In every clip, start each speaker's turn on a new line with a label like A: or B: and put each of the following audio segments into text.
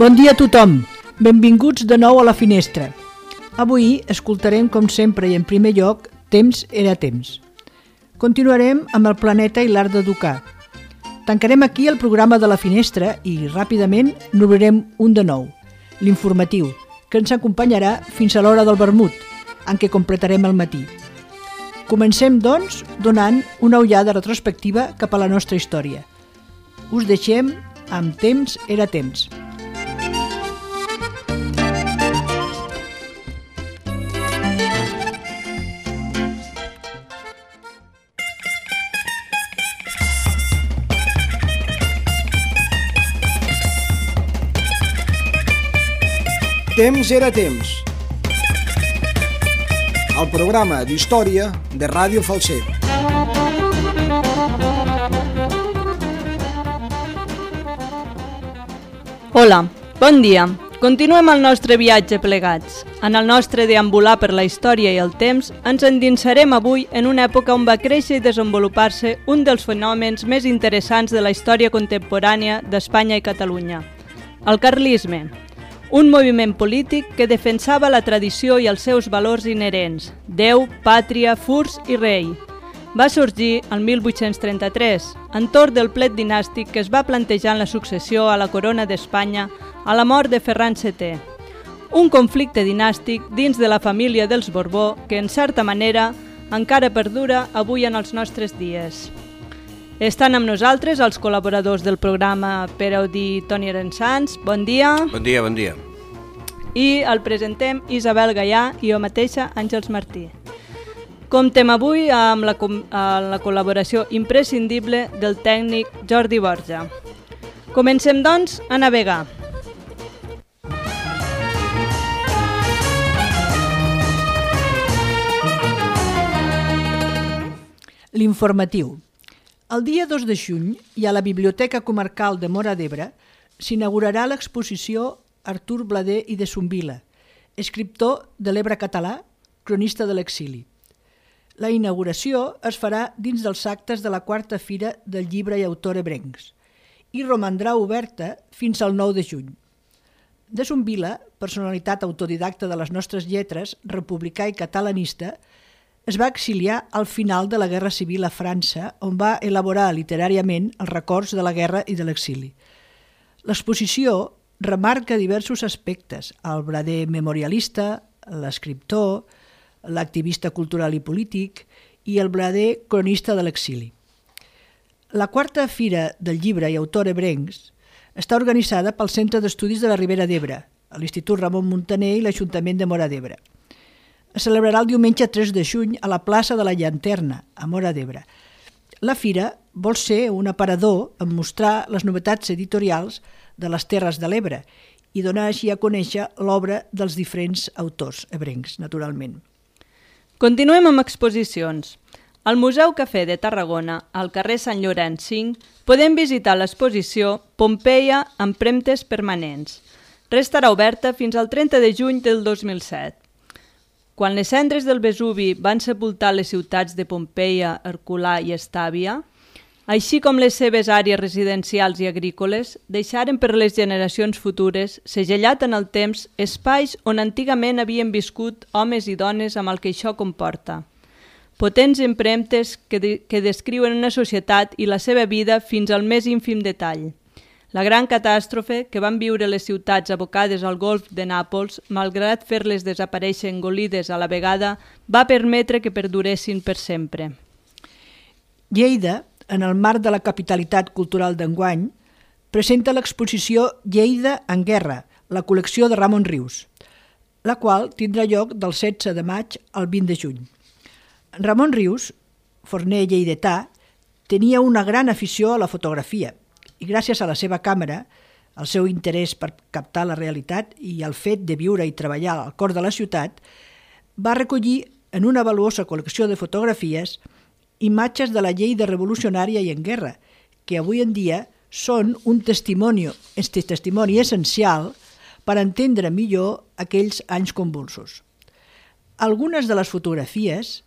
A: Bon dia a tothom, benvinguts de nou a La Finestra. Avui escoltarem, com sempre i en primer lloc, Temps era temps. Continuarem amb el planeta i l'art d'educar. Tancarem aquí el programa de La Finestra i, ràpidament, n'obrirem un de nou, l'informatiu, que ens acompanyarà fins a l'hora del vermut, en què completarem el matí. Comencem, doncs, donant una ullada retrospectiva cap a la nostra història. Us deixem amb Temps era temps.
B: Temps era temps. El programa d'història de Ràdio Falset.
C: Hola, bon dia. Continuem el nostre viatge plegats. En el nostre deambular per la història i el temps, ens endinsarem avui en una època on va créixer i desenvolupar-se un dels fenòmens més interessants de la història contemporània d'Espanya i Catalunya, el carlisme. Un moviment polític que defensava la tradició i els seus valors inherents, Déu, pàtria, furs i rei. Va sorgir el 1833, entorn del plet dinàstic que es va plantejar en la successió a la corona d'Espanya a la mort de Ferran VII. Un conflicte dinàstic dins de la família dels Borbó que, en certa manera, encara perdura avui en els nostres dies. Estan amb nosaltres els col·laboradors del programa Pere Audí i Toni Arensans. Bon dia.
D: Bon dia, bon dia.
C: I el presentem Isabel Gaià i jo mateixa, Àngels Martí. Comptem avui amb la col·laboració imprescindible del tècnic Jordi Borja. Comencem, doncs, a navegar.
A: L'informatiu. El dia 2 de juny i a la Biblioteca Comarcal de Móra d'Ebre s'inaugurarà l'exposició Artur Blader i de Zumbila, escriptor de l'Ebre català, cronista de l'exili. La inauguració es farà dins dels actes de la 4a Fira del Llibre i Autor Ebrencs i romandrà oberta fins al 9 de juny. De Zumbila, personalitat autodidacta de les nostres lletres, republicà i catalanista, es va exiliar al final de la Guerra Civil a França, on va elaborar literàriament els records de la guerra i de l'exili. L'exposició remarca diversos aspectes: el Blader memorialista, l'escriptor, l'activista cultural i polític i el Blader cronista de l'exili. La 4a Fira del Llibre i Autor Ebrencs està organitzada pel Centre d'Estudis de la Ribera d'Ebre, l'Institut Ramon Muntaner i l'Ajuntament de Móra d'Ebre. Es celebrarà el diumenge 3 de juny a la plaça de la Llanterna, a Móra d'Ebre. La fira vol ser un aparador en mostrar les novetats editorials de les Terres de l'Ebre i donar així a conèixer l'obra dels diferents autors ebrencs, naturalment.
C: Continuem amb exposicions. Al Museu Cafè de Tarragona, al carrer Sant Llorenç 5, podem visitar l'exposició Pompeia empremtes permanents. Restarà oberta fins al 30 de juny del 2007. Quan les cendres del Vesuvi van sepultar les ciutats de Pompeia, Herculà i Estàvia, així com les seves àrees residencials i agrícoles, deixaren per les generacions futures, segellat en el temps, espais on antigament havien viscut homes i dones amb el que això comporta. Potents empremtes que descriuen una societat i la seva vida fins al més ínfim detall. La gran catàstrofe que van viure les ciutats abocades al golf de Nàpols, malgrat fer-les desaparèixer engolides a la vegada, va permetre que perduressin per sempre.
A: Lleida, en el marc de la capitalitat cultural d'enguany, presenta l'exposició Lleida en guerra, la col·lecció de Ramon Rius, la qual tindrà lloc del 16 de maig al 20 de juny. Ramon Rius, forner lleidatà, tenia una gran afició a la fotografia, i gràcies a la seva càmera, el seu interès per captar la realitat i el fet de viure i treballar al cor de la ciutat, va recollir en una valuosa col·lecció de fotografies imatges de la Lleida revolucionària i en guerra, que avui en dia són un testimoni essencial per entendre millor aquells anys convulsos. Algunes de les fotografies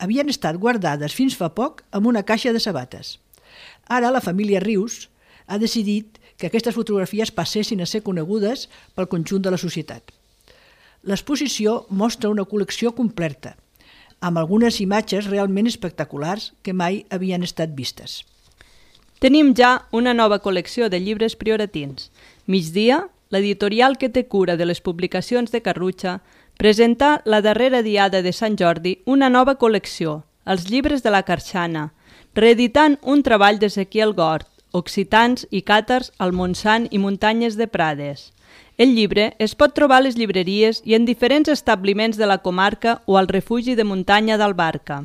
A: havien estat guardades fins fa poc en una caixa de sabates. Ara la família Rius ha decidit que aquestes fotografies passessin a ser conegudes pel conjunt de la societat. L'exposició mostra una col·lecció completa, amb algunes imatges realment espectaculars que mai havien estat vistes.
C: Tenim ja una nova col·lecció de llibres prioratins. Migdia, l'editorial que té cura de les publicacions de Carrutxa, presenta la darrera diada de Sant Jordi una nova col·lecció, els llibres de la Carxana, reeditant un treball d'Ezequiel Gort, Occitans i càtars al Montsant i muntanyes de Prades. El llibre es pot trobar a les llibreries i en diferents establiments de la comarca o al refugi de muntanya d'Albarca.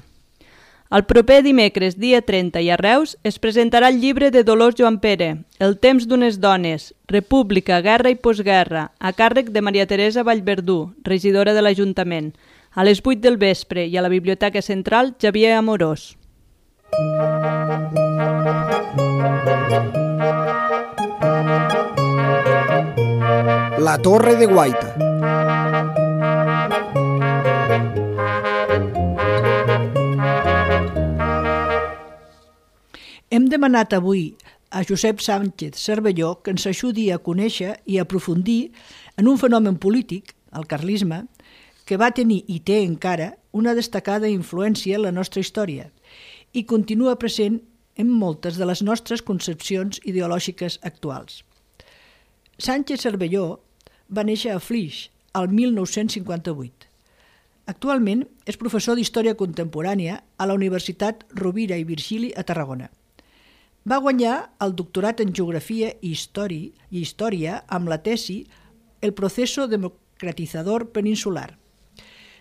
C: El proper dimecres, dia 30, i a Reus, es presentarà el llibre de Dolors Joan Pere, El temps d'unes dones, República, Guerra i Postguerra, a càrrec de Maria Teresa Vallverdú, regidora de l'Ajuntament, a les 8 del vespre i a la Biblioteca Central Xavier Amorós.
B: La Torre de Guaita.
A: Hem demanat avui a Josep Sánchez Cervelló que ens ajudi a conèixer i aprofundir en un fenomen polític, el carlisme, que va tenir i té encara una destacada influència en la nostra història i continua present en moltes de les nostres concepcions ideològiques actuals. Sánchez Cervelló va néixer a Flix el 1958. Actualment és professor d'Història Contemporània a la Universitat Rovira i Virgili a Tarragona. Va guanyar el doctorat en Geografia i Història amb la tesi El proceso democratizador peninsular.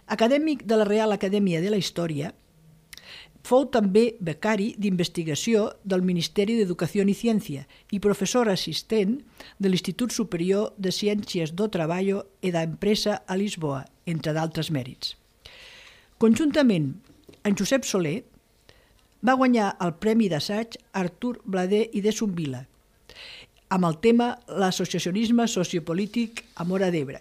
A: Acadèmic de la Real Acadèmia de la Història, fou també becari d'investigació del Ministeri d'Educació i Ciència i professor assistent de l'Institut Superior de Ciències do Traballo e da Empresa a Lisboa, entre d'altres mèrits. Conjuntament amb Josep Soler, va guanyar el Premi d'Assaig Artur Bladé i de Zumbila, amb el tema L'associacionisme sociopolític a Móra d'Ebre,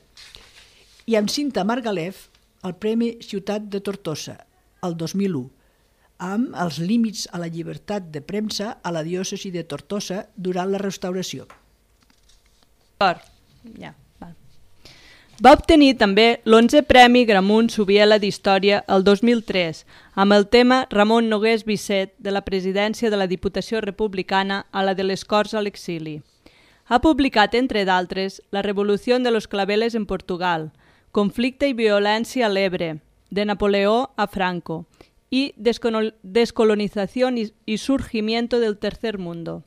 A: i amb Cinta Margalef el Premi Ciutat de Tortosa, el 2001, amb els límits a la llibertat de premsa a la diòcesi de Tortosa durant la restauració. Va
C: obtenir també l'11è Premi Gramunt Subiela d'Història el 2003, amb el tema Ramon Nogués Bisset de la presidència de la Diputació Republicana a la de les Corts a l'exili. Ha publicat, entre d'altres, La revolució de los claveles en Portugal, Conflicte i violència a l'Ebre, de Napoleó a Franco, y Descolonización y surgimiento del tercer mundo.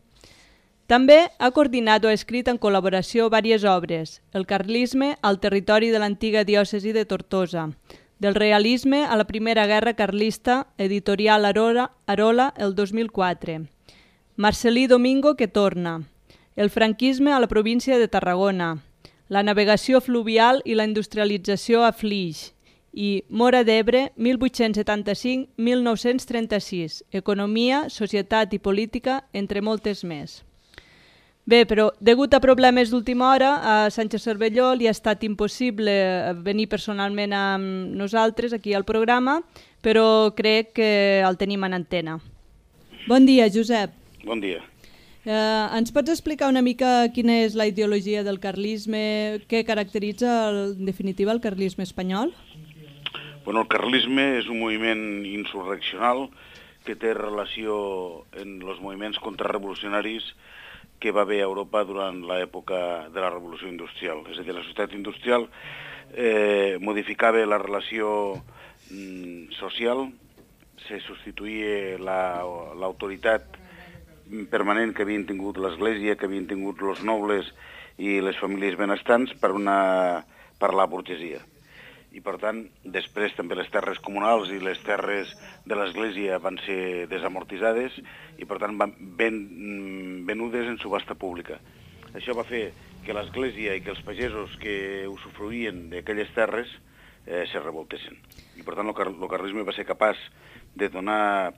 C: També ha coordinat o escrit en col·laboració diverses obres: El carlisme al territori de l'antiga diòcesi de Tortosa, Del realisme a la Primera Guerra Carlista, editorial Arola, el 2004, Marcelí Domingo que torna, El franquisme a la província de Tarragona, La navegació fluvial i la industrialització a Flix, i Móra d'Ebre, 1875-1936, Economia, Societat i Política, entre moltes més. Bé, però degut a problemes d'última hora, a Sánchez Cervelló li ha estat impossible venir personalment amb nosaltres aquí al programa, però crec que el tenim en antena. Bon dia, Josep.
D: Bon dia.
C: Ens pots explicar una mica quina és la ideologia del carlisme, què caracteritza en definitiva el carlisme espanyol?
D: Bueno, el carlisme és un moviment insurreccional que té relació en els moviments contrarrevolucionaris que va haver a Europa durant l'època de la revolució industrial. És a dir, la societat industrial modificava la relació social, se substituïa l'autoritat permanent que havien tingut l'Església, que havien tingut els nobles i les famílies benestants per la burgesia. I, per tant, després també les terres comunals i les terres de l'Església van ser desamortitzades i, per tant, van venudes en subhasta pública. Això va fer que l'Església i que els pagesos que usufruïen d'aquelles terres se revoltessin. I, per tant, el carlisme va ser capaç de donar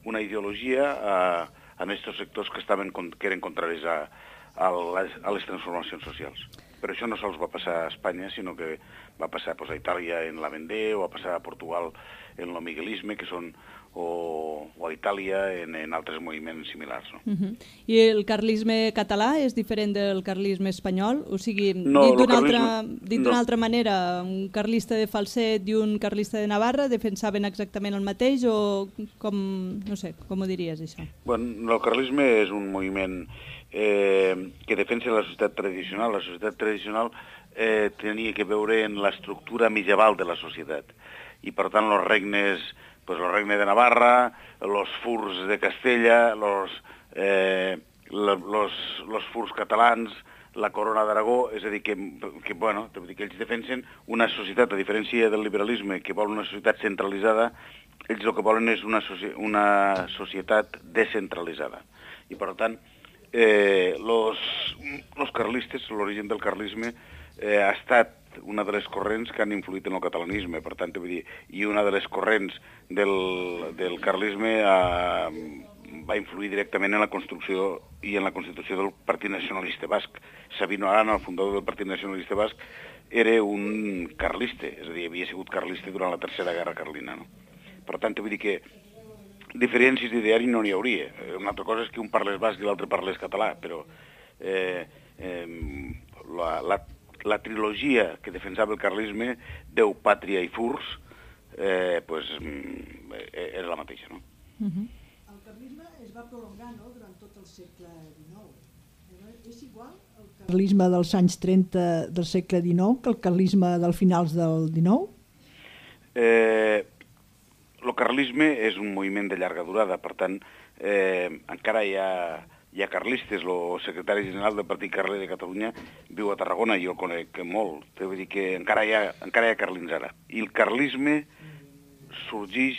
D: una ideologia a aquests sectors que eren contraris a les transformacions socials. Però això no sols va passar a Espanya, sinó que va passar a Itàlia en la Vendée, o va passar a Portugal en el miguelisme, que són o a Itàlia en altres moviments similars. No?
C: I el carlisme català és diferent del carlisme espanyol? O sigui,
D: No,
C: dit d'una altra manera, un carlista de Falset i un carlista de Navarra defensaven exactament el mateix o com, no sé, com ho diries això?
D: Bueno, el carlisme és un moviment que defensa la societat tradicional. La societat tradicional tenia que veure en l'estructura medieval de la societat. I per tant els regnes, pues, el regne de Navarra, los furs de Castella, los furs catalans, la corona d'Aragó, és a dir, que ells defensen una societat, a diferència del liberalisme, que vol una societat centralitzada, ells el que volen és una societat descentralitzada. I per tant, los carlistes, l'origen del carlisme, ha estat una de les corrents que han influït en el catalanisme, per tant, vull dir, i una de les corrents del carlisme va influir directament en la construcció i en la constitució del Partit Nacionalista Basc. Sabino Arana, el fundador del Partit Nacionalista Basc, era un carlista, és a dir, havia sigut carlista durant la Tercera Guerra Carlina. No? Per tant, vull dir que diferències d'ideari no n'hi hauria. Una altra cosa és que un parlés basc i l'altre parlés català, però la trilogia que defensava el carlisme, Déu, Pàtria i Furs, era la mateixa, no?
A: El carlisme es va prolongar, no?, durant tot el segle XIX. És igual el carlisme dels anys 30 del segle XIX que el carlisme del finals del XIX?
D: El carlisme és un moviment de llarga durada, per tant, encara hi ha carlistes. El secretari general del Partit Carler de Catalunya viu a Tarragona i jo el conec molt. Vull dir que encara hi ha carlins ara. I el carlisme sorgeix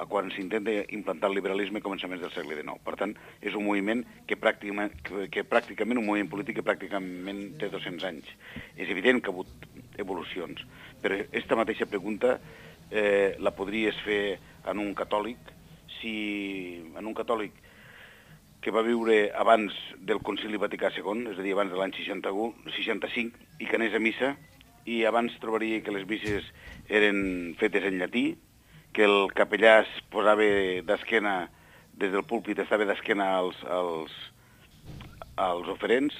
D: quan s'intenta implantar el liberalisme a començaments del segle XIX. Per tant, és un moviment pràcticament un moviment polític que pràcticament té 200 anys. És evident que ha hagut evolucions, però aquesta mateixa pregunta la podries fer en un catòlic, en un catòlic que va viure abans del Concili Vaticà II, és a dir, abans de l'any 65, i que anés a missa, i abans trobaria que les misses eren fetes en llatí, que el capellà es posava d'esquena, des del púlpit estava d'esquena als oferents,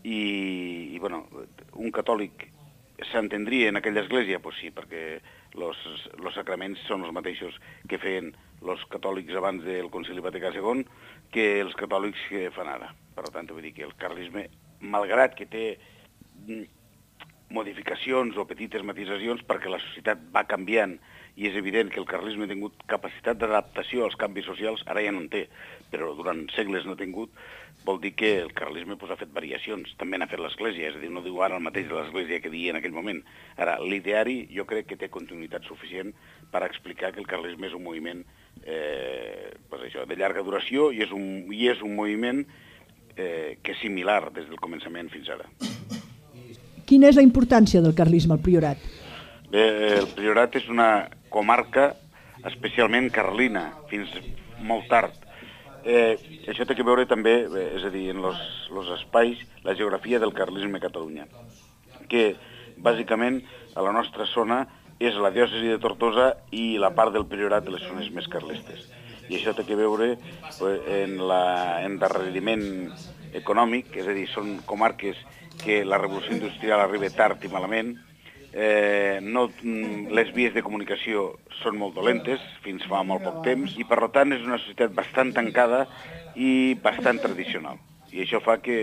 D: i un catòlic s'entendria en aquella església? Doncs sí, perquè els sacraments són els mateixos que feien els catòlics abans del Concili Vaticà II que els catòlics que fan ara. Per tant, vull dir que el carlisme, malgrat que té modificacions o petites matisacions perquè la societat va canviant i és evident que el carlisme ha tingut capacitat d'adaptació als canvis socials, ara ja no en té, però durant segles no ha tingut, vol dir que el carlisme ha fet variacions, també n'ha fet l'Església, és a dir, no diu ara el mateix de l'Església que dia en aquell moment. Ara, l'ideari jo crec que té continuïtat suficient per explicar que el carlisme és un moviment de llarga duració i és un moviment que és similar des del començament fins ara.
A: Quina és la importància del carlisme al Priorat?
D: El Priorat és una comarca especialment carlina, fins molt tard. Això té a veure també, és a dir, en els espais, la geografia del carlisme a Catalunya, que bàsicament a la nostra zona és la diòcesi de Tortosa i la part del Priorat de les zones més carlistes. I això té a veure en l'endarreriment econòmic, és a dir, són comarques que la revolució industrial arriba tard i malament, les vies de comunicació són molt dolentes, fins fa molt poc temps, i per tant és una societat bastant tancada i bastant tradicional. I això fa que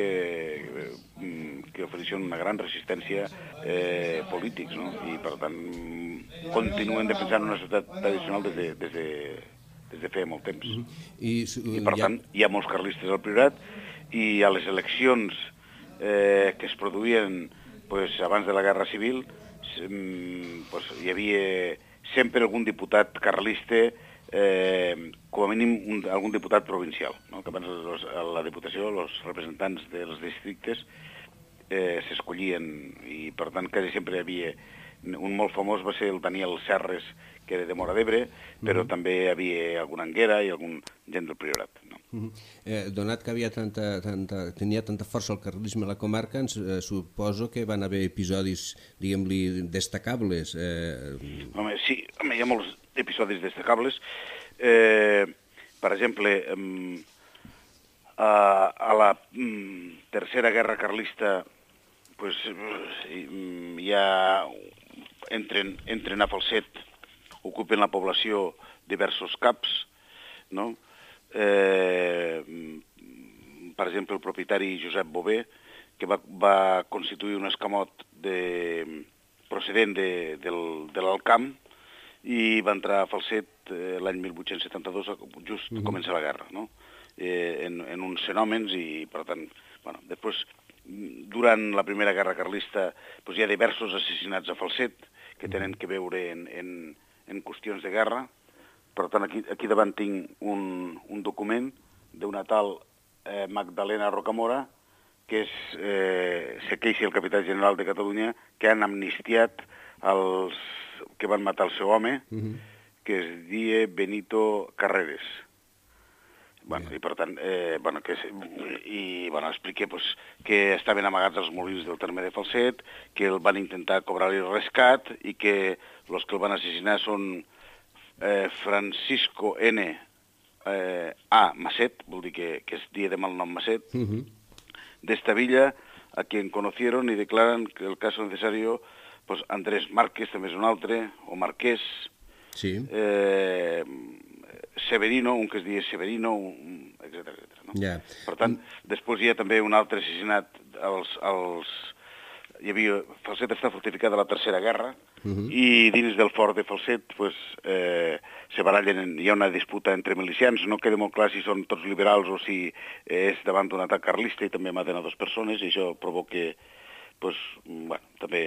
D: ofereixen una gran resistència polítics, no? I per tant continuen defensant una societat tradicional des de feia molt temps. I per tant hi ha molts carlistes al Priorat i a les eleccions que es produïen abans de la Guerra Civil hi havia sempre algun diputat carlista, com a mínim algun diputat provincial, no? Que abans a la Diputació els representants dels districtes s'escollien i per tant quasi sempre hi havia un molt famós va ser el Daniel Serres, que era de Móra d'Ebre, però també hi havia alguna anguera i algun gent del Priorat. No?
E: Donat que tenia tanta força el carlisme a la comarca, suposo que van haver episodis, diguem-li, destacables.
D: Home, sí, hi ha molts episodis destacables. Per exemple, a la Tercera Guerra Carlista pues, ja entren a Falset, ocupen la població diversos caps, no? Per exemple, el propietari Josep Bové, que va constituir un escamot procedent de l'Alcamp i va entrar a Falset l'any 1872, just comença la guerra, no? En uns fenòmens i, per tant, bueno, després, durant la Primera Guerra Carlista, doncs hi ha diversos assassinats a Falset que tenen que veure en qüestions de guerra. Per tant, aquí davant tinc un document d'una tal Magdalena Rocamora, que se queixa el capità general de Catalunya, que han amnistiat els que van matar el seu home, que es dia Benito Carreres. Bueno, i per tant, expliqué que estaven amagats als molins del terme de Falset, que el van intentar cobrar-li el rescat i que els que el van assassinar són Francisco N. A. Masset, vol dir que es dia de malnom Masset, d'esta villa, a quien conocieron y declaran que el caso necesario, pues Andrés Márquez també és un altre, o Marquès,
E: sí.
D: Severino, un que es diu Severino, etc. No?
E: Yeah.
D: Per tant, després hi ha també un altre assassinat Falset està fortificada a la Tercera Guerra i dins del fort de Falset se barallen, hi ha una disputa entre milicians, no queda molt clar si són tots liberals o si és davant d'un atac carlista i també maten a 2 persones i això provoca també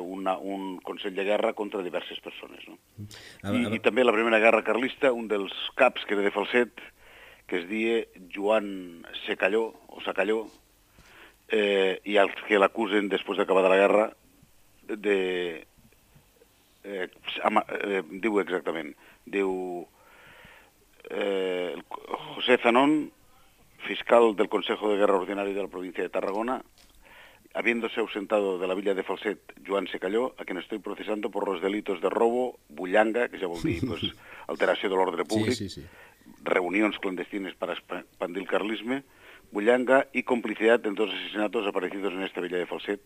D: un consell de guerra contra diverses persones. No? I també la Primera Guerra Carlista, un dels caps que era de Falset, que es deia Joan Secalló, i els que l'acusen després d'acabar de la guerra diu exactament, José Zanón, fiscal del Consejo de Guerra Ordinario de la provincia de Tarragona, habiéndose ausentado de la villa de Falset Joan Secalló, a quien estoy procesando por los delitos de robo, bullanga, que ja vol dir alteració de l'ordre públic, reunions clandestines para expandir el carlisme, bullanga y complicidad en 2 asesinatos aparecidos en esta villa de Falset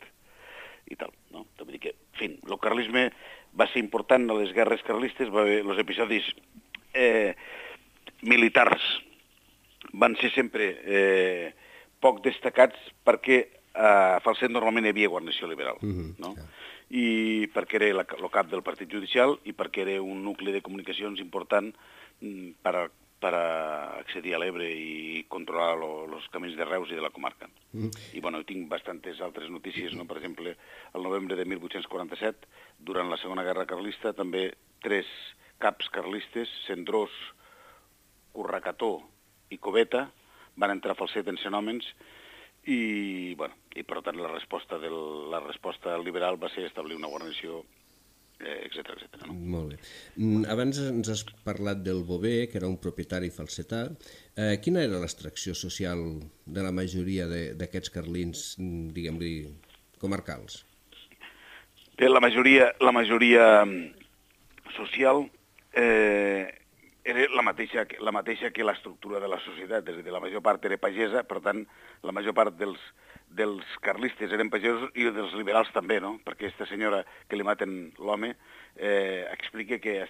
D: i tal, no? Vull dir que, en fi, el carlisme va ser important a les guerres carlistes, va haver els episodis militars van ser sempre poc destacats perquè a Falset normalment hi havia guarnició liberal, no? I perquè era el cap del partit judicial i perquè era un nucli de comunicacions important per accedir a l'Ebre i controlar els camins de Reus i de la comarca. I tinc bastantes altres notícies, no? Per exemple, el novembre de 1847, durant la Segona Guerra Carlista, també 3 caps carlistes, Cendrós, Curracató i Coveta, van entrar a Falset en fenòmens i per tant la resposta liberal va ser establir una guarnició, etc. No?
E: Molt bé. Abans ens has parlat del Bové, que era un propietari falsetà. Quina era l'extracció social de la majoria d'aquests carlins, diguem-li, comarcals?
D: Bé, la majoria social era la mateixa que l'estructura de la societat, és a dir, la major part era pagesa, per tant, la major part dels carlistes eren pagesos i dels liberals també, no? Perquè aquesta senyora que li maten l'home explica que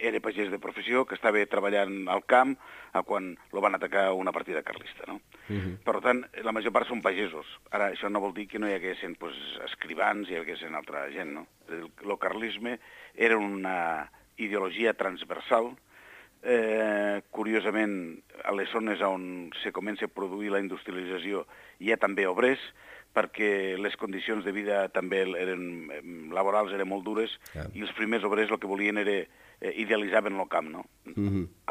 D: era pagès de professió, que estava treballant al camp quan lo van atacar una partida carlista, no? Per tant, la major part són pagesos. Ara, això no vol dir que no hi haguessin escrivans, hi haguessin altra gent, no? El carlisme era una ideologia transversal. Curiosament, a les zones on se comença a produir la industrialització hi ha també obrers, perquè les condicions de vida també laborals eren molt dures i els primers obrers el que volien era idealitzaven el camp, no?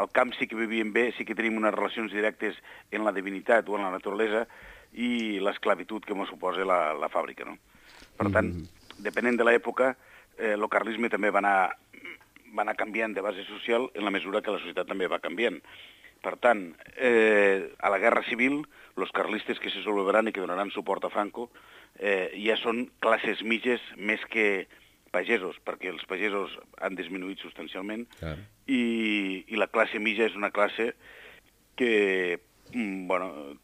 D: Al camp sí que vivien bé, sí que tenim unes relacions directes en la divinitat o en la naturalesa i l'esclavitud que ens suposa la fàbrica, no? Per tant, depenent de l'època, el carlisme també va anar canviant de base social en la mesura que la societat també va canviant. Per tant, a la Guerra Civil, els carlistes que se solveran i que donaran suport a Franco ja són classes mitges més que pagesos, perquè els pagesos han disminuït substancialment i la classe mitja és una classe que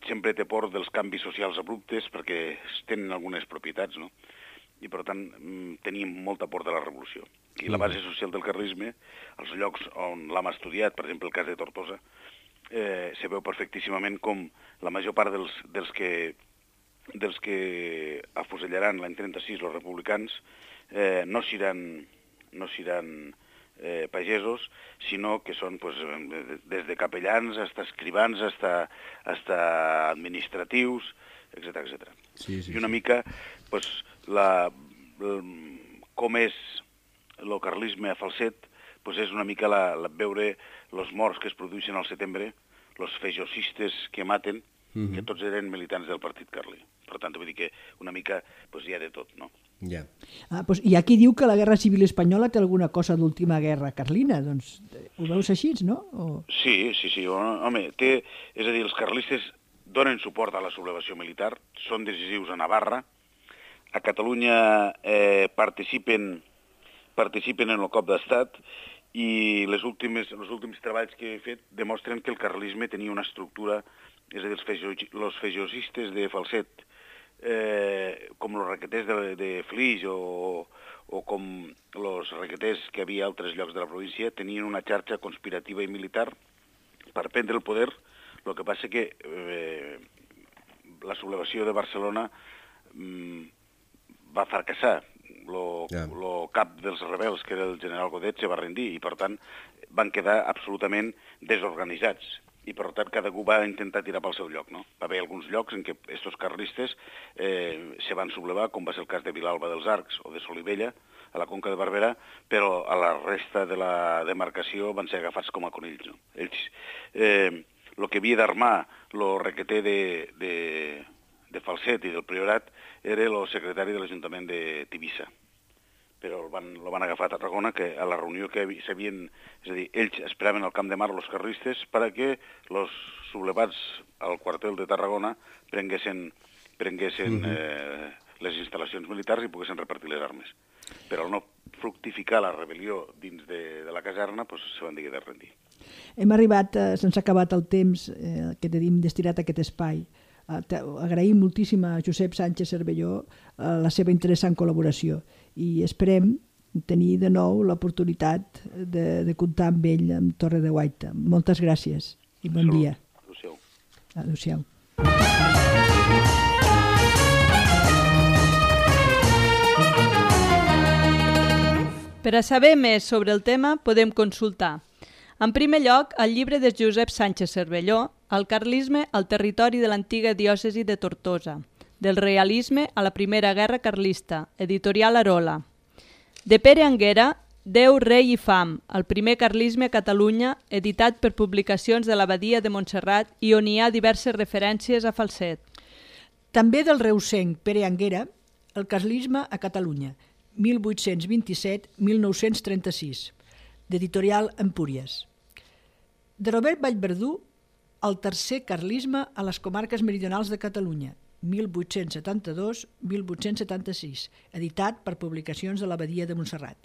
D: sempre té por dels canvis socials abruptes perquè tenen algunes propietats, no? I per tant tenim molta por de la revolució. I la base social del carlisme, els llocs on l'hem estudiat, per exemple el cas de Tortosa, se veu perfectíssimament com la major part dels que afusellaran l'any 36 els republicans no seran pagesos, sinó que són des de capellans fins escrivans, fins administratius, etc. I una mica com és el carlisme a Falset, és una mica veure els morts que es produeixen al setembre, els fejosistes que maten, que tots eren militants del partit carlí. Per tant, vull dir que una mica hi ha de tot, no?
E: Ja.
A: Hi ha qui diu que la Guerra Civil Espanyola té alguna cosa d'última guerra carlina, doncs ho veus així, no?
D: Sí, home, és a dir, els carlistes donen suport a la sublevació militar, són decisius a Navarra, a Catalunya participen en el cop d'estat i els últims treballs que he fet demostren que el carlisme tenia una estructura, és a dir, els fejosistes de Falset, com els requeters de Flix o com els requeters que havia a altres llocs de la província, tenien una xarxa conspirativa i militar per prendre el poder. El que passa que la sublevació de Barcelona va fracassar. El cap dels rebels, que era el general Godet, se va rendir i, per tant, van quedar absolutament desorganitzats. I, per tant, cadascú va intentar tirar pel seu lloc, no? Va haver alguns llocs en què estos carlistes se van sublevar, com va ser el cas de Vilalba dels Arcs o de Solivella, a la Conca de Barberà, però a la resta de la demarcació van ser agafats com a conills, no? Ells, el que havia d'armar el requeter de Falset i del Priorat era el secretari de l'Ajuntament de Tivissa, però el van agafar a Tarragona, que a la reunió que s'havien... És a dir, ells esperaven al Camp de Mar els carlistes perquè els sublevats al quartel de Tarragona prenguessin les instal·lacions militars i poguessin repartir les armes. Però al no fructificar la rebel·lió dins de la caserna, se van dir de rendir.
A: Hem arribat, se'ns ha acabat el temps que tenim destinat a aquest espai. Agraïm moltíssim a Josep Sánchez Cervelló la seva interessant col·laboració i esperem tenir de nou l'oportunitat de comptar amb ell amb Torre de Guaita. Moltes gràcies i bon dia.
D: Adéu-siau.
A: Adéu-siau.
C: Per a saber més sobre el tema podem consultar, en primer lloc, el llibre de Josep Sánchez Cervelló, El carlisme al territori de l'antiga diòcesi de Tortosa, del realisme a la Primera Guerra Carlista, editorial Arola. De Pere Anguera, Déu, rei i fam, el primer carlisme a Catalunya, editat per Publicacions de l'Abadia de Montserrat i on hi ha diverses referències a Falset.
A: També del reusenc Pere Anguera, El carlisme a Catalunya, 1827-1936, d'editorial Empúries. De Robert Vallverdú, El tercer carlisme a les comarques meridionals de Catalunya, 1872-1876, editat per Publicacions de l'Abadia de Montserrat.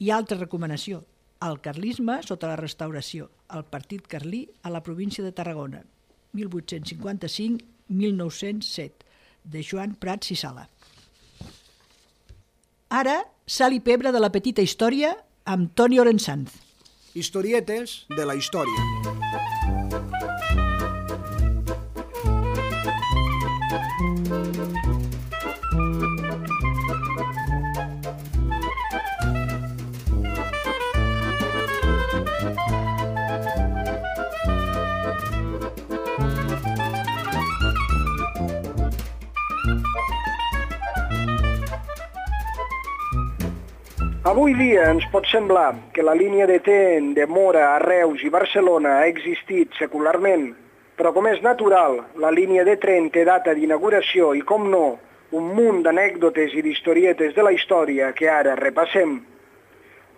A: I altra recomanació, El carlisme sota la restauració, el partit carlí a la província de Tarragona, 1855-1907, de Joan Prats i Sala. Ara, sal i pebre de la petita història amb Toni Orensanz.
B: Historietes de la història. Avui dia ens pot semblar que la línia de tren de Móra a Reus i Barcelona ha existit secularment, però com és natural, la línia de tren té data d'inauguració i, com no, un munt d'anècdotes i d'historietes de la història que ara repassem.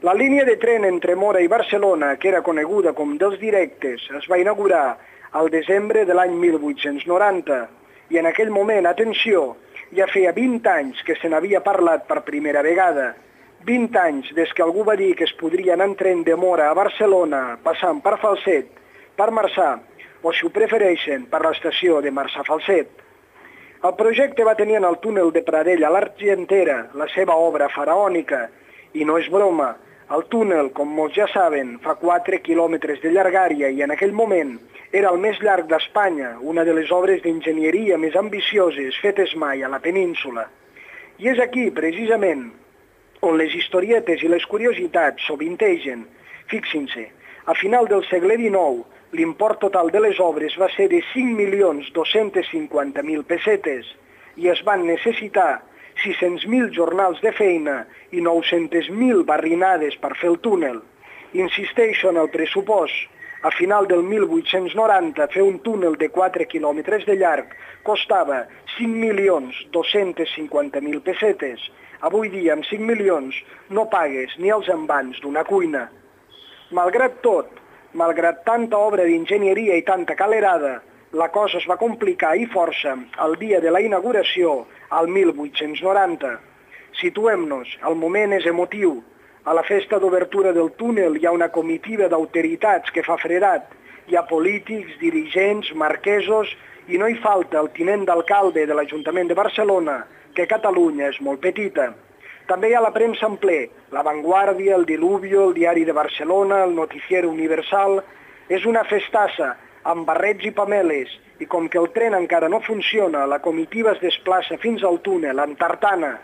B: La línia de tren entre Móra i Barcelona, que era coneguda com dels directes, es va inaugurar al desembre de l'any 1890 i en aquell moment, atenció, ja feia 20 anys que se n'havia parlat per primera vegada. 20 anys des que algú va dir que es podria anar en tren de Móra a Barcelona passant per Falset, per Marçà, o si ho prefereixen, per l'estació de Marçà-Falset. El projecte va tenir en el túnel de Pradell a l'Argentera la seva obra faraònica, i no és broma, el túnel, com molts ja saben, fa 4 quilòmetres de llargària i en aquell moment era el més llarg d'Espanya, una de les obres d'enginyeria més ambicioses fetes mai a la península. I és aquí, precisament, on les historietes i les curiositats sovintegen. Fixin-se, a final del segle XIX, l'import total de les obres va ser de 5.250.000 pessetes i es van necessitar 600.000 jornals de feina i 900.000 barrinades per fer el túnel. Insisteixo en el pressupost. A final del 1890, fer un túnel de 4 quilòmetres de llarg costava 5.250.000 pessetes. Avui dia, amb 5 milions, no pagues ni els envans d'una cuina. Malgrat tot, malgrat tanta obra d'enginyeria i tanta calerada, la cosa es va complicar i força el dia de la inauguració, al 1890. Situem-nos, el moment és emotiu. A la festa d'obertura del túnel hi ha una comitiva d'autoritats que fa fredat. Hi ha polítics, dirigents, marquesos i no hi falta el tinent d'alcalde de l'Ajuntament de Barcelona, que Catalunya és molt petita. També hi ha la premsa en ple, La Vanguardia, el Diluvio, el Diari de Barcelona, el Noticiero Universal. És una festassa, amb barrets i pameles, i com que el tren encara no funciona, la comitiva es desplaça fins al túnel, en tartana.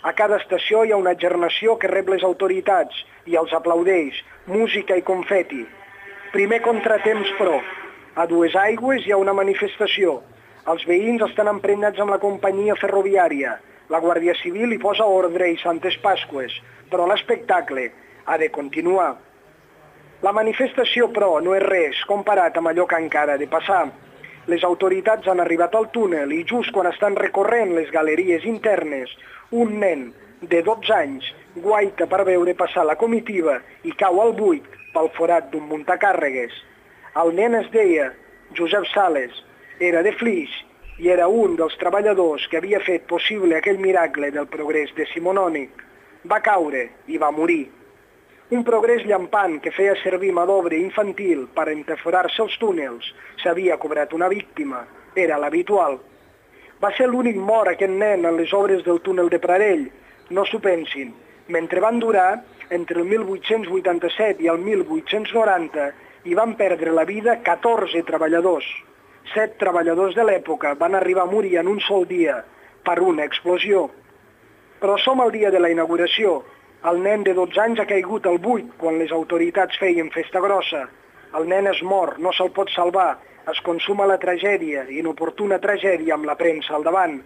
B: A cada estació hi ha una gernació que rep les autoritats i els aplaudeix, música i confeti. Primer contratemps, però. A Duesaigües hi ha una manifestació. Els veïns estan emprenyats amb la companyia ferroviària. La Guàrdia Civil hi posa ordre i Santes Pasqües, però l'espectacle ha de continuar. La manifestació, però, no és res comparat amb allò que encara ha de passar. Les autoritats han arribat al túnel i just quan estan recorrent les galeries internes, un nen de 12 anys guaita per veure passar la comitiva i cau al buit pel forat d'un muntacàrregues. El nen es deia Josep Sales, era de Flix i era un dels treballadors que havia fet possible aquell miracle del progrés decimonònic. Va caure i va morir. Un progrés llampant que feia servir mà d'obra infantil per entaforar-se els túnels. S'havia cobrat una víctima. Era l'habitual. Va ser l'únic mort aquest nen en les obres del túnel de Pradell. No s'ho pensin. Mentre van durar, entre el 1887 i el 1890, hi van perdre la vida 14 treballadors. 7 treballadors de l'època van arribar a morir en un sol dia per una explosió. Però som al dia de la inauguració. El nen de 12 anys ha caigut al buit quan les autoritats feien festa grossa. El nen es mor, no se'l pot salvar. Es consuma la tragèdia, inoportuna tragèdia amb la premsa al davant.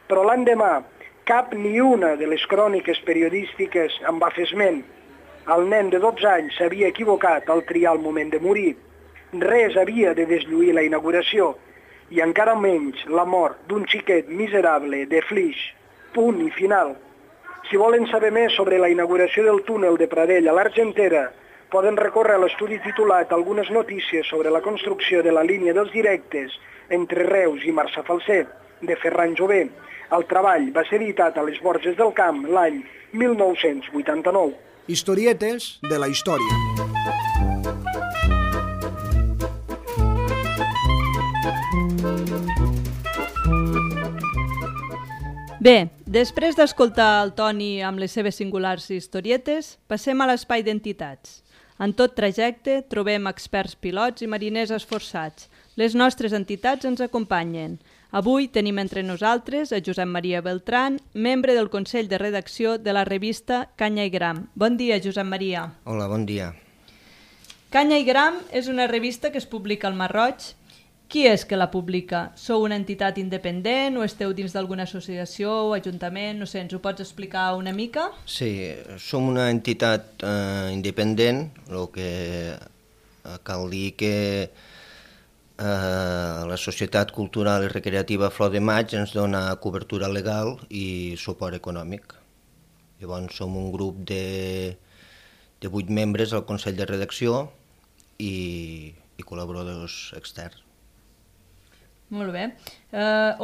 B: Però l'endemà, cap ni una de les cròniques periodístiques en va fer esment. El nen de 12 anys s'havia equivocat al triar el moment de morir. Res havia de deslluir la inauguració, i encara menys la mort d'un xiquet miserable de Flix. Punt i final. Si volen saber més sobre la inauguració del túnel de Pradell a l'Argentera, poden recórrer a l'estudi titulat Algunes notícies sobre la construcció de la línia dels directes entre Reus i Marçà-Falset, de Ferran Jové. El treball va ser editat a les Borges del Camp l'any 1989.
F: Historietes de la història.
C: Bé, després d'escoltar el Toni amb les seves singulars historietes, passem a l'espai d'entitats. En tot trajecte trobem experts pilots i mariners esforçats. Les nostres entitats ens acompanyen. Avui tenim entre nosaltres a Josep Maria Beltran, membre del Consell de Redacció de la revista Canya i Gram. Bon dia, Josep Maria.
G: Hola, bon dia.
C: Canya i Gram és una revista que es publica al Mar Roig. Qui és que la publica? Sou una entitat independent o esteu dins d'alguna associació o ajuntament? No sé, ens ho pots explicar una mica?
G: Sí, som una entitat independent, el que cal dir que la Societat Cultural i Recreativa Flor de Maig ens dona cobertura legal i suport econòmic. Llavors som un grup de 8 membres al Consell de Redacció i col·laboradors externs.
C: Molt bé.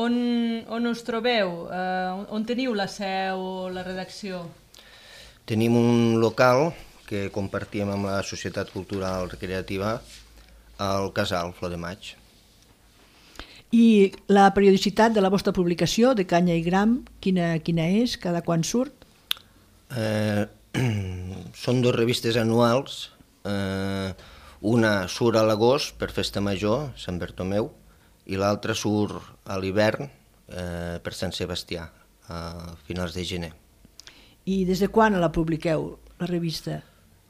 C: On us trobeu? On teniu la seu o la redacció?
G: Tenim un local que compartim amb la Societat Cultural Recreativa al Casal Flor de Maig.
A: I la periodicitat de la vostra publicació, de Canya i Gram, quina és? Cada quan surt?
G: Són 2 revistes anuals. Una surt a l'agost per Festa Major, Sant Bartomeu, i l'altra surt a l'hivern per Sant Sebastià, a finals de gener.
A: I des de quan la publiqueu, la revista?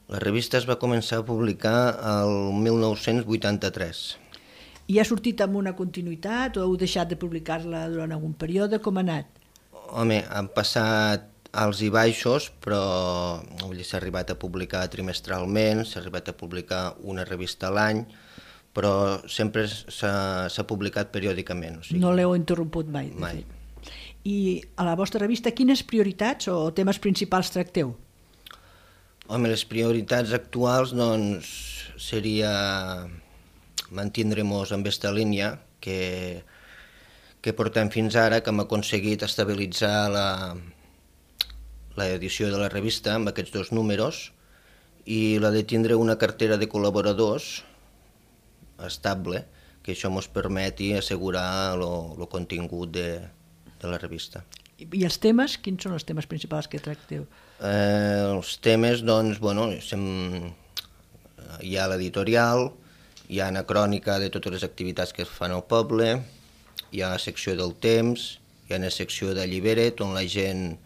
G: La revista es va començar a publicar el 1983.
A: I ha sortit amb una continuïtat o heu deixat de publicar-la durant algun període? Com ha anat?
G: Home, han passat alts i baixos, però s'ha arribat a publicar trimestralment, s'ha arribat a publicar una revista a l'any, però sempre s'ha publicat periòdicament. O sigui,
A: no l'heu interromput mai?
G: Mai.
A: I a la vostra revista quines prioritats o temes principals tracteu?
G: Home, les prioritats actuals doncs, seria mantindre-nos en aquesta línia que portem fins ara, que hem aconseguit estabilitzar l'edició de la revista amb aquests 2 números i la de tindre una cartera de col·laboradors estable, que això ens permeti assegurar el contingut de la revista.
A: I els temes? Quins són els temes principals que tracteu?
G: Els temes, doncs, bueno, hi ha l'editorial, hi ha una crònica de totes les activitats que es fan al poble, hi ha la secció del temps, hi ha una secció de llibret on la gent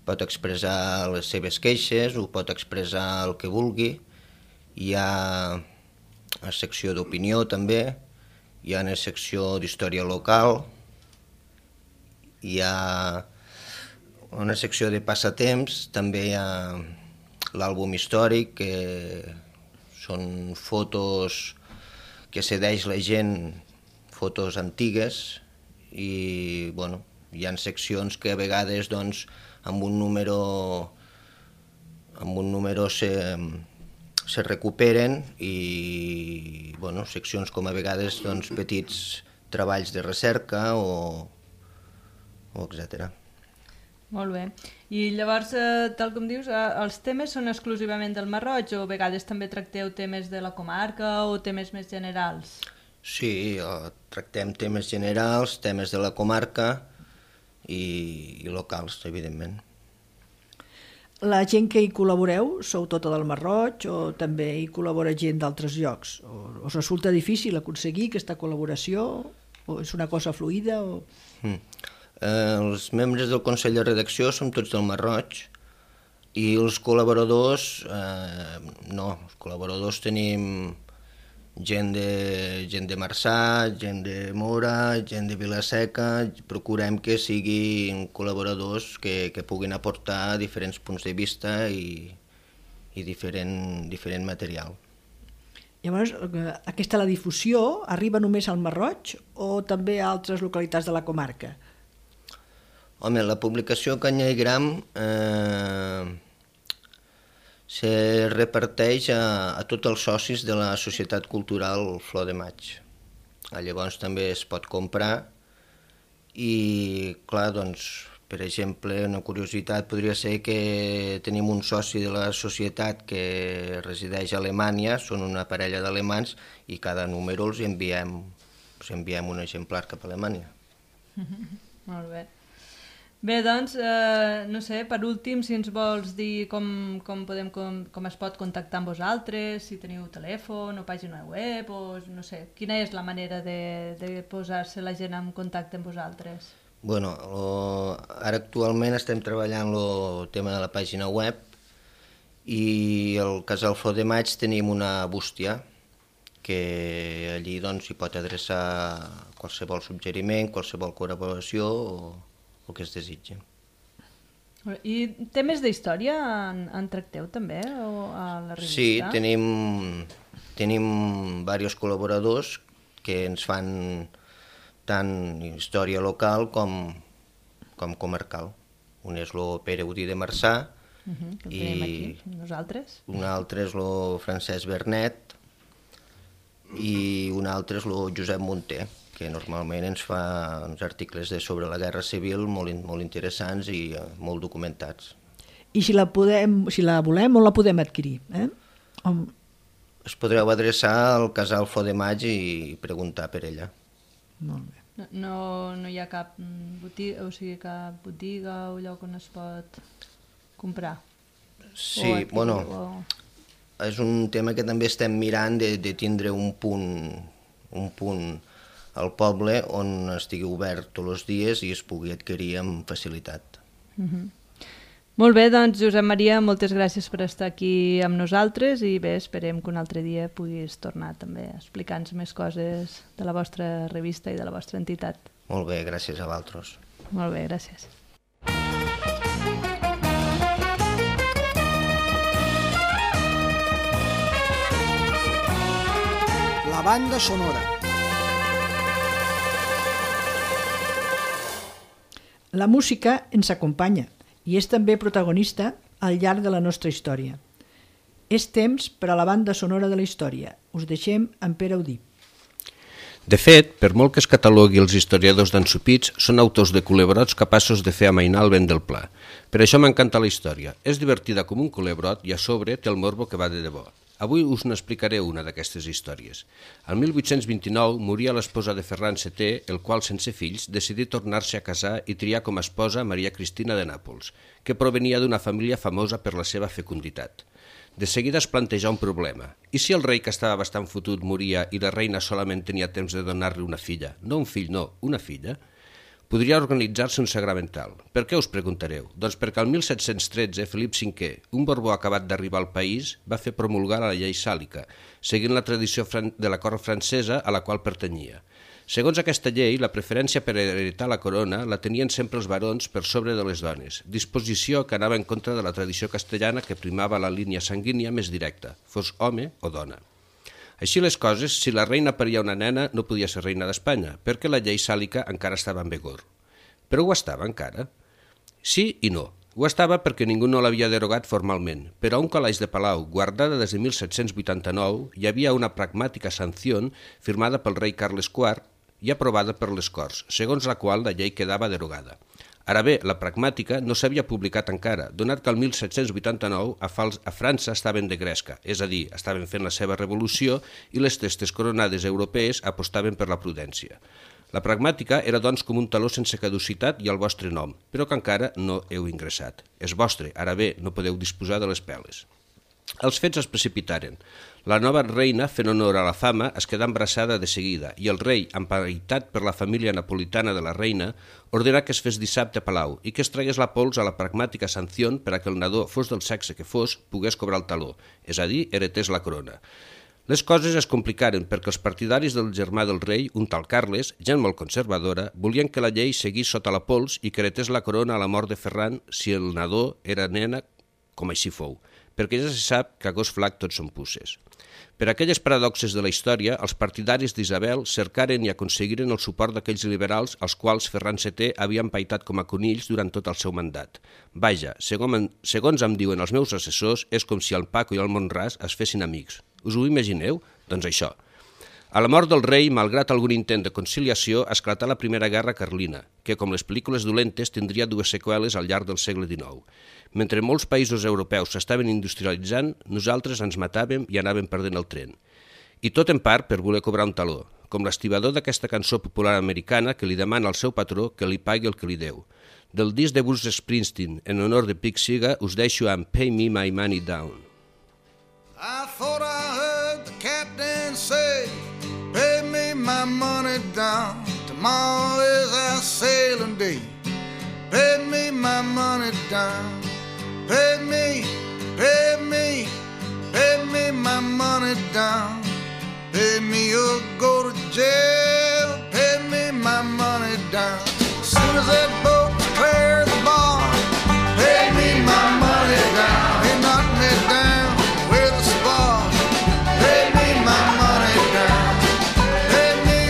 G: pot expressar les seves queixes, ho pot expressar el que vulgui, hi ha la secció d'opinió també, hi ha una secció d'història local, hi ha una secció de passatemps, també hi ha l'àlbum històric, que són fotos que cedeix la gent, fotos antigues, i bueno, hi ha seccions que a vegades doncs, amb un número se recuperen i bueno, seccions com a vegades doncs, petits treballs de recerca o etcètera.
C: Molt bé. I llavors, tal com dius, els temes són exclusivament del Marroig o a vegades també tracteu temes de la comarca o temes més generals?
G: Sí, tractem temes generals, temes de la comarca i locals, evidentment.
A: La gent que hi col·laboreu, sou tota del Marroig o també hi col·labora gent d'altres llocs? Us resulta difícil aconseguir aquesta col·laboració o és una cosa fluida?
G: Els membres del Consell de Redacció som tots del Marroig i els col·laboradors, no, els col·laboradors tenim gent de Marçà, gent de Mora, gent de Vila-seca, procurem que siguin col·laboradors que puguin aportar diferents punts de vista i diferent material.
A: Llavors, la difusió arriba només al Marroig o també a altres localitats de la comarca?
G: Home, la publicació Canya i Gram se reparteix a tots els socis de la Societat Cultural Flor de Maig. Llavors també es pot comprar i, clar, doncs, per exemple, una curiositat podria ser que tenim un soci de la societat que resideix a Alemanya, són una parella d'alemans i cada número els enviem un exemplar cap a Alemanya.
C: Molt bé. Bé, doncs, no sé, per últim, si ens vols dir com es pot contactar amb vosaltres, si teniu telèfon o pàgina web, o no sé, quina és la manera de posar-se la gent en contacte amb vosaltres?
G: Bueno, ara actualment estem treballant el tema de la pàgina web i al Casal Flor de Maig tenim una bústia que allí doncs hi pot adreçar qualsevol suggeriment, qualsevol col·laboració o que es desitgi.
C: I temes d'història en tracteu també a la revista?
G: Sí, tenim diversos col·laboradors que ens fan tant història local com comarcal. Un és el Pere Udí de Marçà,
C: i nosaltres?
G: Un altre és el Francesc Bernet i un altre és el Josep Munter, que normalment ens fa uns articles sobre la Guerra Civil molt interessants i molt documentats.
A: I si la volem, on la podem adquirir?
G: Es podreu adreçar al Casal Flor de Maig i preguntar per ella.
A: Molt bé.
C: No hi ha cap botiga, cap botiga o lloc on es pot comprar?
G: Sí, és un tema que també estem mirant de tindre un punt al poble on estigui obert tots els dies i es pugui adquirir amb facilitat.
C: Molt bé, doncs Josep Maria, moltes gràcies per estar aquí amb nosaltres i bé, esperem que un altre dia puguis tornar també a explicar-nos més coses de la vostra revista i de la vostra entitat.
G: Molt bé, gràcies a vosaltres.
C: Molt bé, gràcies.
F: La banda sonora.
A: La música ens acompanya i és també protagonista al llarg de la nostra història. És temps per a la banda sonora de la història. Us deixem amb Pere Udí.
E: De fet, per molt que es catalogui els historiadors d'ensopits, són autors de culebrots capaços de fer amainar el vent del pla. Per això m'encanta la història. És divertida com un culebrot i a sobre té el morbo que va de debò. Avui us n'explicaré una d'aquestes històries. El 1829 moria l'esposa de Ferran VII, el qual, sense fills, decidí tornar-se a casar i triar com a esposa Maria Cristina de Nàpols, que provenia d'una família famosa per la seva fecunditat. De seguida es planteja un problema. I si el rei, que estava bastant fotut, moria i la reina solament tenia temps de donar-li una filla? No un fill, no, una filla? Podria organitzar-se un sagramental. Per què us preguntareu? Doncs perquè el 1713 Felip V, un Borbó acabat d'arribar al país, va fer promulgar la llei sàlica, seguint la tradició de la cort francesa a la qual pertanyia. Segons aquesta llei, la preferència per heretar la corona la tenien sempre els barons per sobre de les dones, disposició que anava en contra de la tradició castellana que primava la línia sanguínia més directa, fos home o dona. Així les coses, si la reina paria una nena, no podia ser reina d'Espanya, perquè la llei sàlica encara estava en vigor. Però ho estava encara? Sí i no. Ho estava perquè ningú no l'havia derogat formalment, però a un calaix de palau, guardada des de 1789, hi havia una pragmàtica sanció firmada pel rei Carles IV i aprovada per les Corts, segons la qual la llei quedava derogada. Ara bé, la pragmàtica no s'havia publicat encara, donat que el 1789 a França estaven de gresca, és a dir, estaven fent la seva revolució i les testes coronades europees apostaven per la prudència. La pragmàtica era doncs com un taló sense caducitat i el vostre nom, però que encara no heu ingressat. És vostre, ara bé, no podeu disposar de les peles. Els fets es precipitaren. La nova reina, fent honor a la fama, es quedà embarassada de seguida i el rei, emparitat per la família napolitana de la reina, ordenà que es fes dissabte a Palau i que es tragués la pols a la pragmàtica sanció per a que el nadó, fos del sexe que fos, pogués cobrar el taló, és a dir, heretés la corona. Les coses es complicaren perquè els partidaris del germà del rei, un tal Carles, gent molt conservadora, volien que la llei seguís sota la pols i que heretés la corona a la mort de Ferran si el nadó era nena, com així fou, perquè ja se sap que a gos flac tots són puces. Per aquelles paradoxes de la història, els partidaris d'Isabel cercaren i aconseguiren el suport d'aquells liberals als quals Ferran VII havia empaitat com a conills durant tot el seu mandat. Vaja, segons em diuen els meus assessors, és com si el Paco i el Montràs es fessin amics. Us ho imagineu? Doncs això. A la mort del rei, malgrat algun intent de conciliació, esclatà la Primera Guerra Carlina, que, com les pel·lícules dolentes, tindria dues seqüeles al llarg del segle XIX. Mentre molts països europeus s'estaven industrialitzant, nosaltres ens matàvem i anàvem perdent el tren. I tot en part per voler cobrar un taló, com l'estibador d'aquesta cançó popular americana que li demana al seu patró que li pagui el que li deu. Del disc de Bruce Springsteen, en honor de Pete Seeger, us deixo amb Pay Me My Money Down.
H: I thought I heard the captain say, pay me my money down, tomorrow is our sailing day. Pay me my money down, pay me my money down. Pay me or go to jail, pay me my money down. As soon as that boat clears the bar, pay me my money down. They knock me down with a spar, pay me my money down. Pay me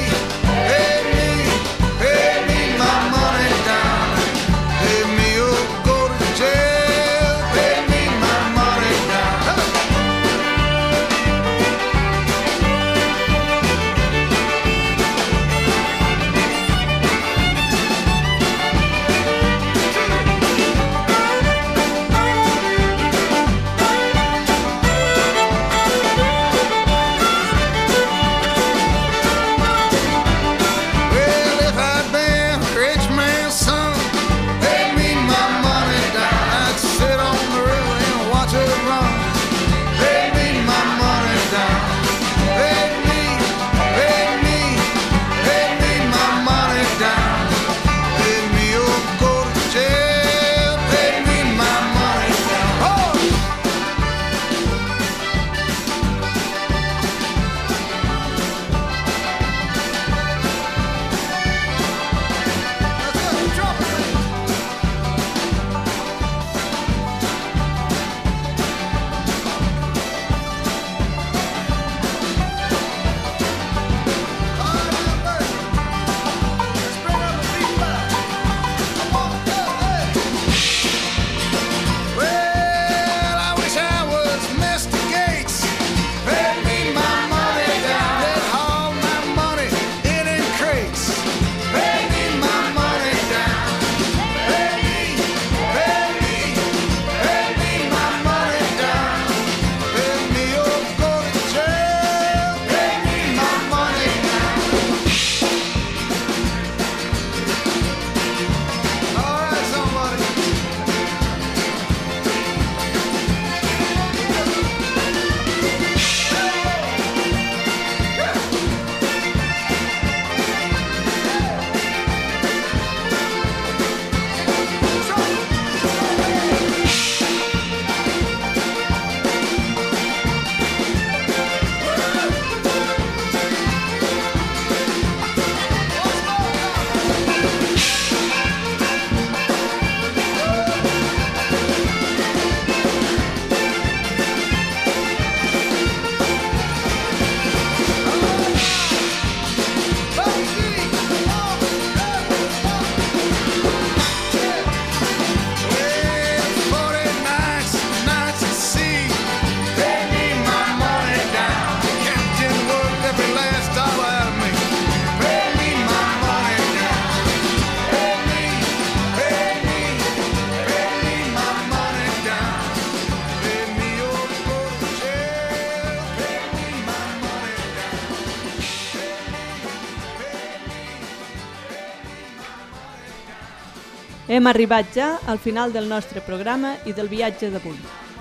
C: Hem arribat ja al final del nostre programa i del viatge d'avui.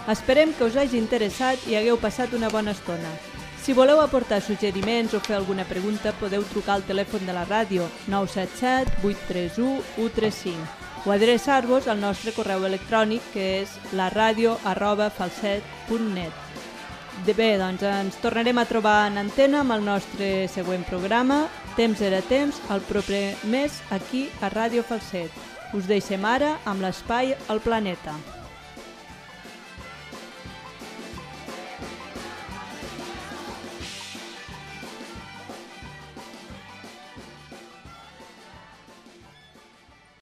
C: Esperem que us hagi interessat i hagueu passat una bona estona. Si voleu aportar suggeriments o fer alguna pregunta, podeu trucar al telèfon de la ràdio 977 831 135 o adreçar-vos al nostre correu electrònic, que és laradio@falset.net. Bé, doncs ens tornarem a trobar en antena amb el nostre següent programa, Temps era temps, el proper mes aquí a Ràdio Falset. Us deixem ara amb l'espai al planeta.